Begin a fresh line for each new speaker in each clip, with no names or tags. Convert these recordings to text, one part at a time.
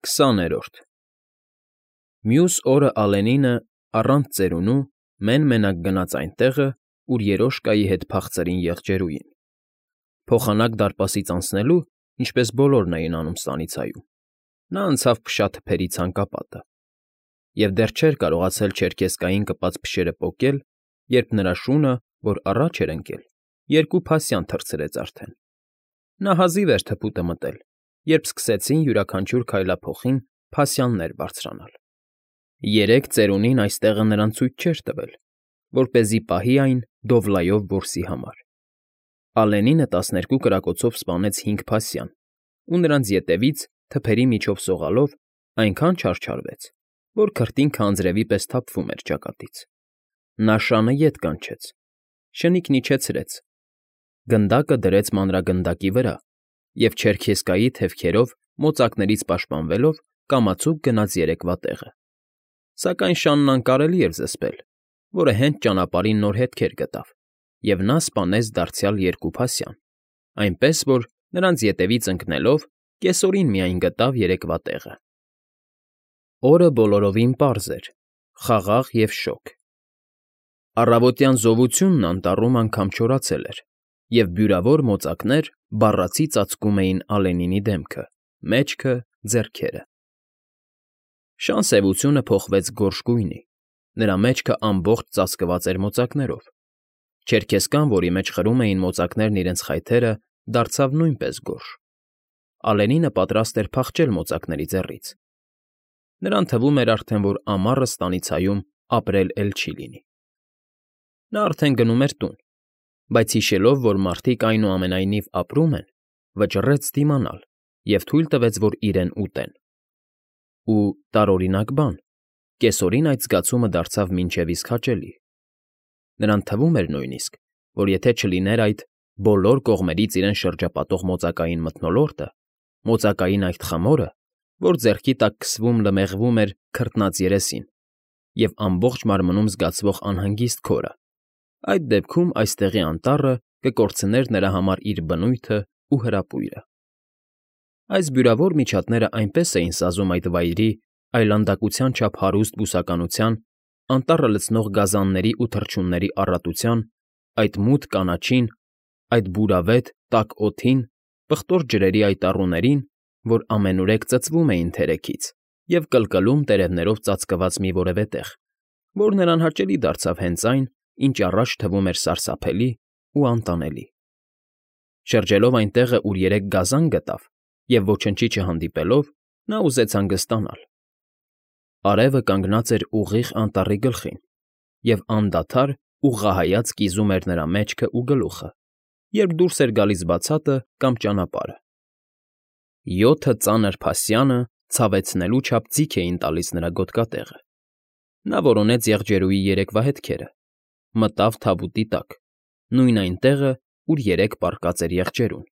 20-րդ Մյուս օրը Ալենինը, առանց ծերունու, մեն֊մենակ գնաց այնտեղը, ուր երոշկայի հետ փախցրին եղջերուին, փոխանակ դարպասից անցնելու, ինչպես բոլորն էին անում Ստանիցայում, նա անցավ փշաթփերի ցանկապատը և դեռ չէր կարողացել չերքեզկային կպած փշերը պոկել, երբ նրա շունը, որ առաջ էր ընկել, երկու փասյան թռցրեց արդեն. նա հազիվ էր թփուտը մտել, երբ սկսեցին յուրաքանչյուր քայլափոխին փասյաններ բարձրանալ. երեք ծերունին այստեղը նրան ցույց չէր տվել, որպեսզի պահի այն Դովլայով որսի համար. Ալենինը 12 կրակոցով սպանեց 5 փասյան ու նրանց ետևից, թփերի միջով սողալով, այնքան չարչարվեց, որ քրտինքը անձրևի պես թափվում էր ճակատից. նա շանը ետ կանչեց, շնիկն իջեցրեց, գնդակը դրեց մանրագնդակի վրա և չերքեզկայի թևքերով մոծակներից պաշտպանվելով կամացուկ գնաց երեկվա տեղը, սակայն շանն անկարելի էր զսպել, որը հենց ճանապարհին նոր հետքեր գտավ, և նա սպանեց դարձյալ 2 փասյան, այնպես որ, նրանց ետևից ընկնելով, կեսօրին միայն գտավ երեկվա տեղը. Օրը բոլորովին պարզ էր, խաղաղ և շոգ. առավոտյան զովությունն անտառում անգամ չորացել էր, և բյուրավոր մոծակներ բառացի ծածկում էին Ալենինի դեմքը, մեջքը, ձեռքերը. Շան սևությունը փոխվեց գորշ գույնի, նրա մեջքը ամբողջ ծածկված էր մոծակներով, չերքեզկան, որի մեջ խրում էին մոծակներն իրենց խայթերը, դարձավ նույնպես գորշ. Ալենինը պատրաստ էր փախչել մոծակների ձեռից. նրան թվում էր արդեն, որ ամառը Ստանիցայում ապրել էլ չի լինի. նա արդեն գնում էր տուն, բայց հիշելով, որ մարդիկ այնուամենայնիվ ապրում են, վճռեց դիմանալ և թույլ տվեց, որ իրեն ուտեն. ու, տարօրինակ բան, կեսօրին այդ զգացումը դարձավ մինչև իսկ հաճելի. նրան թվում էր նույնիսկ, որ եթե չլիներ այդ բոլոր կողմերից իրեն շրջապատող մոծակային մթնոլորտը, մոծակային այդ խմորը, որ ձեռքի տակ քսվում լմեղվում էր քրտնած երեսին և ամբողջ մարմնում զգացվող անհանգիստ քորը, այդ դեպքում այստեղի անտառը կկորցներ նրա համար իր բնույթն ու հրապույրը. այս բյուրավոր միջատները այնպես էին սազում այդ վայրի այլանդակության չափ հարուստ բուսականության, անտառը լցնող գազանների ու թռչունների առատության, այդ մութ կանաչին, այդ բուրավետ, տաք օդին, պղտոր ջրերի այդ առուներին, որ ամենուրեք ծծվում էին թերեքից և կլկլում տերևներով ծածկված մի որևէ տեղ, որ նրան հաճելի դարձավ հենց այն, ինչ առաջ թվում էր սարսափելի ու անտանելի. շրջելով այն տեղը, ուր երեք գազան գտավ և ոչնչի չհանդիպելով, նա ուզեց հանգստանալ. արևը կանգնած էր ուղիղ անտառի գլխին և անդադար ուղղահայաց կիզում էր նրա մեջքն ու գլուխը, երբ դուրս էր գալիս բացատը կամ ճանապարհը. 7 ծանր փասյանը ցավեցնելու չափ ձիգ էին տալիս նրա գոտկատեղը. նա որոնեց եղջերուի երեկվա հետքերը, մտավ թավուտի տակ, նույն այն տեղը, ուր երեկ պառկած էր եղջերուն,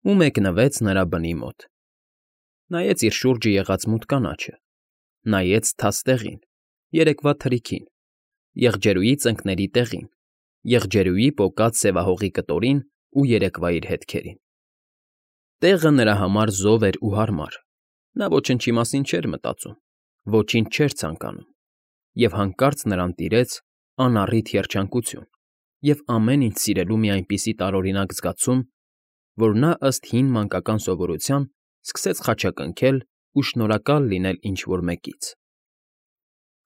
ու մեկնվեց նրա բնի մոտ. նայեց իր շուրջը եղած մութ կանաչը, նայեց թաց տեղին, երեկվա թրիքին, եղջերուի ծնկների տեղին, եղջերուի պոկած սևահողի կտորին ու երեկվա իր հետքերին. տեղը նրա համար զով էր ու հարմար, նա ոչնչի մասին չէր մտածում, ոչինչ չէր ցանկանում, և հանկարծ նրան տիրեց անառիթ երջանկություն և ամեն ինչ սիրելու մի այնպիսի տարօրինակ զգացում, որ նա ըստ հին մանկական սովորության սկսեց խաչակնքել ու շնորհակալ լինել ինչ֊որ մեկից.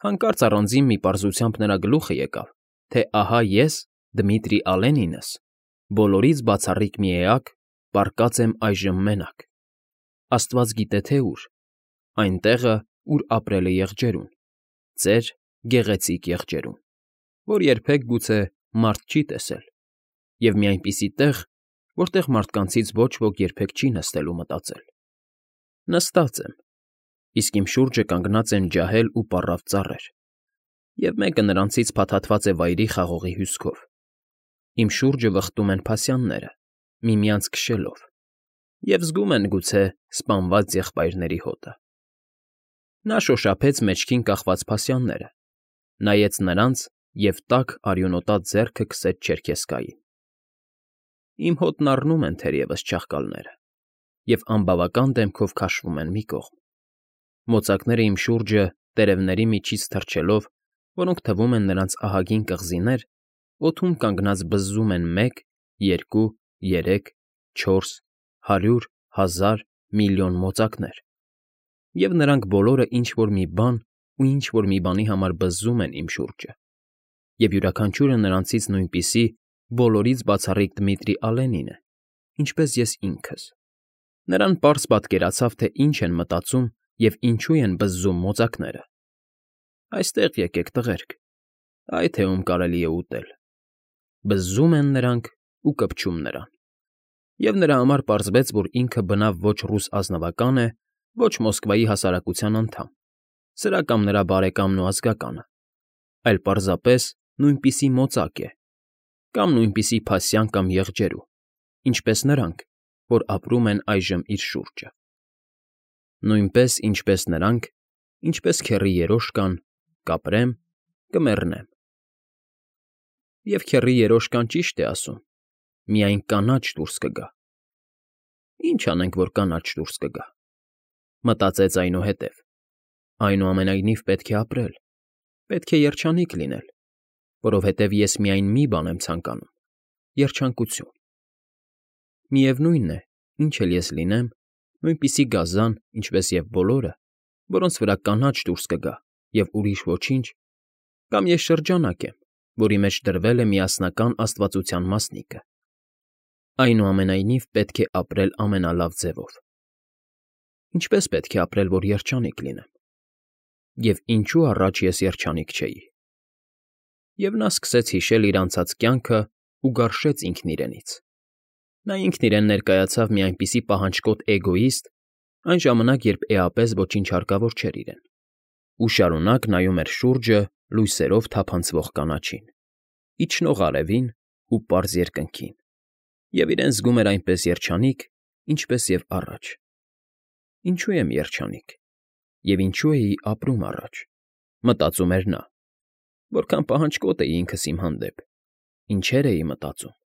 հանկարծ առանձին մի պարզությամբ նրա գլուխը եկավ, թե ահա ես, Դմիտրի Ալենինս, բոլորից բացառիկ մի էակ, պառկած եմ այժմ մենակ, աստված գիտե թե ուր, այն տեղը, ուր ապրել է եղջերուն, ծեր գեղեցիկ եղջերուն, որ երբեք գուցե մարդ չի տեսել, և մի այնպիսի տեղ, որտեղ մարդկանցից ոչ ոք երբեք չի նստել ու մտածել. նստած եմ, իսկ իմ շուրջը կանգնած են ջահել ու պառավ ծառեր, և մեկը նրանցից փաթաթված է վայրի խաղողի հյուսքով, իմ շուրջը վխտում են փասյանները, միմյանց քշելով, և զգում են, գուցե, սպանված եղբայրների հոտը. նա շոշափեց մեջքին կախված փասյանները, նայեց նրանց և տաք արյունոտած ձեռքը քսեց չերքեզկային. իմ հոտն առնում են թերևս չաղկալները և անբավական դեմքով քաշվում են մի կողմ, Մոծակները իմ շուրջը, տերևների միջից թռչելով, որոնք թվում են նրանց ահագին կղզիներ, օդում կանգնած բզզում են 1, 2, 3, 4, 100, 1000, միլիոն մոծակներ, և նրանք բոլորը ինչ֊որ մի բան ու ինչ֊որ մի բանի համար բզզում են իմ շուրջը, և յուրաքանչյուրը նրանցից նույնպիսի բոլորից բացառիկ Դմիտրի Ալենին է, ինչպես ես ինքս։ Նրան պարզ պատկերացավ, թե ինչ են մտածում և ինչու են բզզում մոծակները։ Այստեղ եկեք, տղերք, այ թե ում կարելի է ուտել։ Բզզում են նրանք ու կպչում նրան։ Եվ նրա համար պարզվեց, որ ինքը բնավ ոչ ռուս ազնվական է, ոչ Մոսկվայի հասարակության անդամ, սրա կամ նրա բարեկամն ու ազգականը, այլ պարզապես նույնպիսի մոծակ է, կամ նույնպիսի փասյան կամ եղջերու, ինչպես նրանք, որ ապրում են այժմ իր շուրջը։ Նույնպես, ինչպես նրանք, ինչպես քեռի երոշկան, կապրեմ, կմեռնեմ։ Եվ քեռի երոշկան ճիշտ է ասում, միայն կանաչ դուրս կգա։ Ինչ անենք, որ կանաչ դուրս կգա, մտածեց այնուհետև, այնուամենայնիվ պետք է ապրել, պետք է երջանիկ լինել, որովհետև ես միայն մի բան եմ ցանկանում՝ երջանկություն։ Միևնույն է, ինչ էլ ես լինեմ, նույնպիսի գազան, ինչպես և բոլորը, որոնց վրա կանաչ դուրս կգա և ուրիշ ոչինչ, կամ ես շրջանակ եմ, որի մեջ դրվել է միասնական աստվածության մասնիկը։ Այնուամենայնիվ պետք է ապրել ամենալավ ձևով։ Ինչպես պետք է ապրել, որ երջանիկ լինեմ։ Եվ ինչու առաջ ես երջանիկ չէի։ Եվ նա սկսեց հիշել իր անցած կյանքը ու գարշեց ինքն իրենից։ Նա ինքն իրեն ներկայացավ մի այնպիսի պահանջկոտ էգոիստ, այն ժամանակ, երբ էապես ոչինչ հարկավոր չէր իրեն, ու շարունակ նայում էր շուրջը լույսերով թափանցվող կանաչին, իջնող արևին ու պարզ երկնքին, և իրեն զգում էր այնպես երջանիկ, ինչպես և առաջ։ Ինչու եմ երջանիկ, և ինչու էի ապրում առաջ, մտածում էր նա, որքան պահանջկոտ էի ինքս իմ հանդեպ, ինչեր էի մտածում,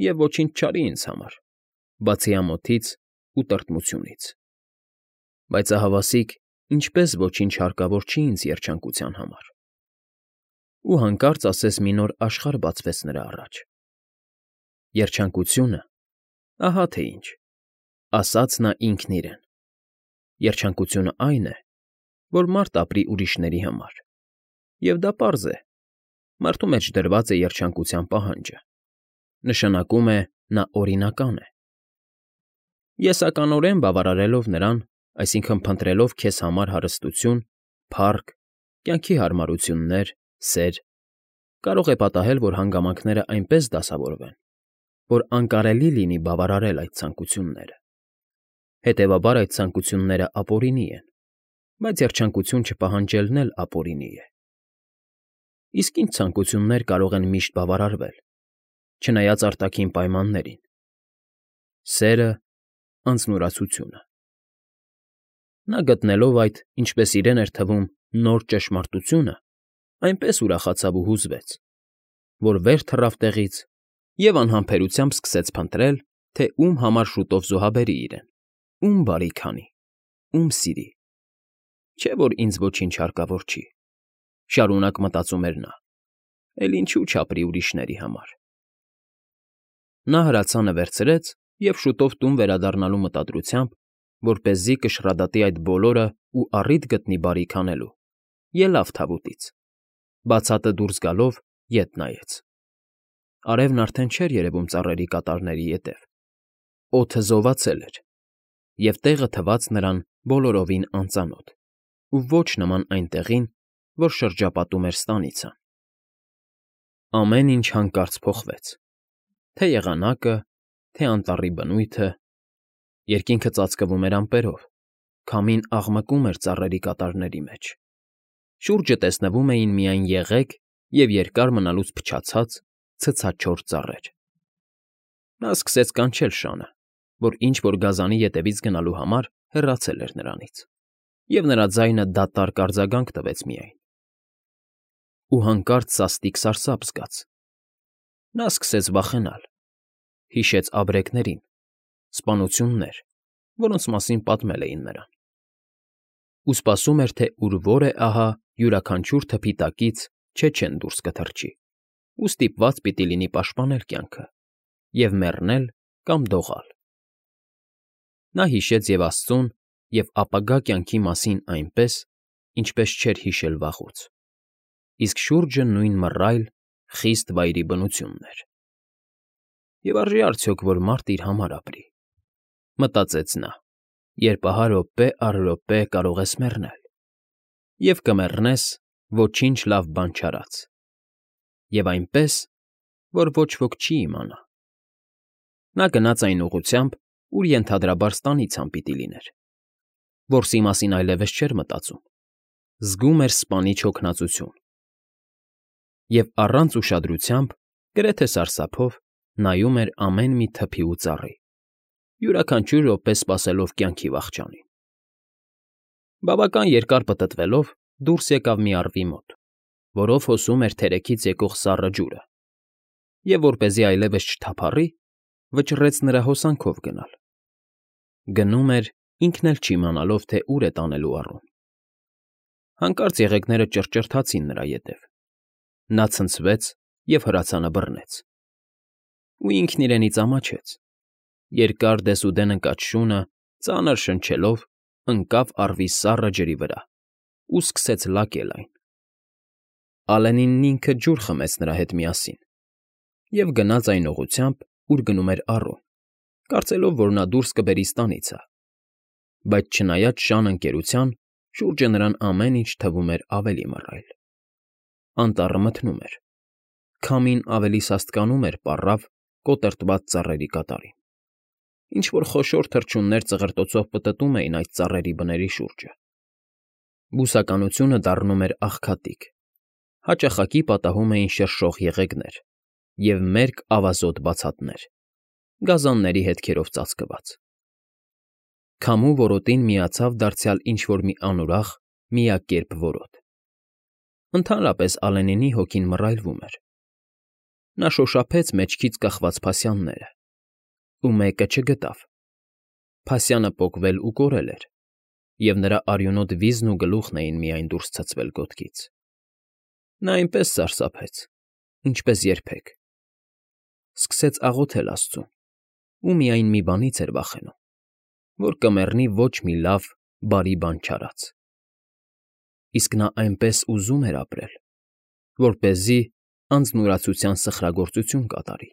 և ոչինչ չարի ինձ համար, բացի ամոթից ու տրտմությունից։ Բայց ահավասիկ, ինչպես ոչինչ հարկավոր չի ինձ երջանկության համար։ Ու հանկարծ ասես մի նոր աշխարհ բացվեց նրա առաջ։ Երջանկությունը, ահա թե ինչ, ասաց նա ինքն իրեն։ Երջանկությունը այն է, որ մարդ ապրի ուրիշների համար, և դա պարզ է, մարդու մեջ դրված է երջանկության պահանջը, նշանակում է նա օրինական է։ Եսականորեն բավարարելով նրան, այսինքն փնտրելով քեզ համար հարստություն, փառք, կյանքի հարմարություններ, սեր, կարող է պատահել, որ հանգամանքները այնպես դասավորվեն, որ անկարելի լինի բավարարել այդ ցանկությունները։ Հետևաբար այդ ցանկությունները ապօրինի են, բայց երջանկություն չպահանջելն էլ ապօրինի է։ Իսկ ինչ ցանկություններ կարող են միշտ բավարարվել, չնայած արտաքին պայմաններին։ Սերը, անձնուրացությունը։ Նա գտնելով այդ, ինչպես իրեն էր թվում, նոր ճշմարտությունը, այնպես ուրախացավ ու հուզվեց, որ վեր թռավ տեղից և անհամբերությամբ սկսեց փնտրել, թե ում համար շուտով զոհաբերի իրեն, ում բարիք անի, ում սիրի։ Չէ՞ որ ինձ ոչինչ հարկավոր չի, շարունակ մտածում էր նա, էլ ինչու չապրի ուրիշների համար։ Նա հրացանը վերցրեց և շուտով տուն վերադառնալու մտադրությամբ, որպեսզի կշռադատի այդ բոլորը ու առիթ գտնի բարիք անելու, ելավ թավուտից, բացատը դուրս գալով ետ նայեց։ Արևն արդեն չէր երևում ծառերի կատարների ետև, օդը զովացել էր, և տեղը թվաց նրան բոլորովին անծանոթ ու ոչ նման այն տեղին, որ շրջապատում էր ստանիցան։ Ամեն ինչ հանկարծ փոխվեց, թե եղանակը, թե անտառի բնույթը, երկինքը ծածկվում էր ամպերով, քամին աղմկում էր ծառերի կատարների մեջ, շուրջը տեսնվում էին միայն եղեգ և երկար մնալուց փչացած, ցցաչոր ծառեր։ Նա սկսեց կանչել շանը, որ ինչ֊որ գազանի ետևից գնալու համար հեռացել էր նրանից, և նրա ձայնը դատարկ արձագանք տվեց միայն։ Ու հանկարծ սաստիկ սարսափ զգաց։ Նա սկսեց վախենալ, հիշեց ապրեկներին, սպանություններ, որոնց մասին պատմել էին նրան։ ու սպասում էր, թե ուր որ է ահա յուրաքանչյուր թփի տակից չեն դուրս կթռչի ու ստիպված պիտի լինի պաշտպանել կյանքը և մեռնել կամ դողալ։ Նա հիշեց և աստծուն, և ապագա կյանքի մասին այնպես, ինչպես չէր հիշել վաղուց, իսկ շուրջը նույն մռայլ, խիստ վայրի բնությունն էր։ «Եվ արժե՞ արդյոք, որ մարդ իր համար ապրի,֊ մտածեց նա,֊ երբ ահա րոպե առ րոպե կարող ես մեռնել, և կմեռնես ոչինչ լավ բան չարած, և այնպես, որ ոչ ոք չի իմանա»։ Նա գնաց այն ուղղությամբ, ուր ենթադրաբար ստանիցան պիտի լիներ, որսի մասին այլևս չէր մտածում, զգում էր սպանիչ հոգնածություն և առանց ուշադրությամբ, գրեթե սարսափով նայում էր ամեն մի թփի ու ծառի, յուրաքանչյուր րոպե սպասելով կյանքի վախճանին։ Բավական երկար պտտվելով՝ դուրս եկավ մի առվի մոտ, որով հոսում էր թերեքից եկող սառը ջուրը, և որպեսզի այլևս չթափառի, վճռեց նրա հոսանքով գնալ։ Գնում էր, ինքն էլ չիմանալով, թե ուր է տանելու առուն։ Հանկարծ եղեգները ճռճռթացին նրա ետև։ Նա ցնցվեց և հրացանը բռնեց։ Ու ինքն իրենից ամաչեց։ Երկար դեսուդեն ընկած շունը, ծանր շնչելով, ընկավ առվի սառը ջրի վրա ու սկսեց լակել այն։ Ալենինն ինքը ջուր խմեց նրա հետ միասին և գնաց այն ուղղությամբ, ուր գնում էր առուն, կարծելով, որ նա դուրս կբերի ստանիցը, բայց չնայած շան ընկերության, շուրջը նրան ամեն ինչ թվում էր ավելի մռայլ։ Անտառը մթնում էր, քամին ավելի սաստկանում էր պառավ, կոտրտված ծառերի կատարին։ Ինչ֊որ խոշոր թռչուններ ծղրտոցով պտտում էին այդ ծառերի բների շուրջը։ Բուսականությունը դառնում էր աղքատիկ, հաճախակի պատահում էին շրշող եղեգներ և մերկ ավազոտ բացատներ, գազանների հետքերով ծածկված։ Քամու որոտին միացավ դարձյալ ինչ֊որ մի անուրախ, միակերպ որոտ։ Ընդհանրապես Ալենինի հոգին մռայլվում էր։ Նա շոշափեց մեջքից կախված փասյանները ու մեկը չգտավ։ Փասյանը պոկվել ու կորել էր, և նրա արյունոտ վիզն ու գլուխն էին միայն դուրս ցցվել գոտքից։ Նա այնպես սարսափեց, ինչպես երբեք։ Սկսեց աղոթել աստծուն ու միայն մի բանից էր վախենում, որ կմեռնի ոչ մի լավ, բարի բան չարած։ Իսկ նա այնպես ուզում էր ապրել, որպեսզի անձնուրացության սխրագործություն կատարի։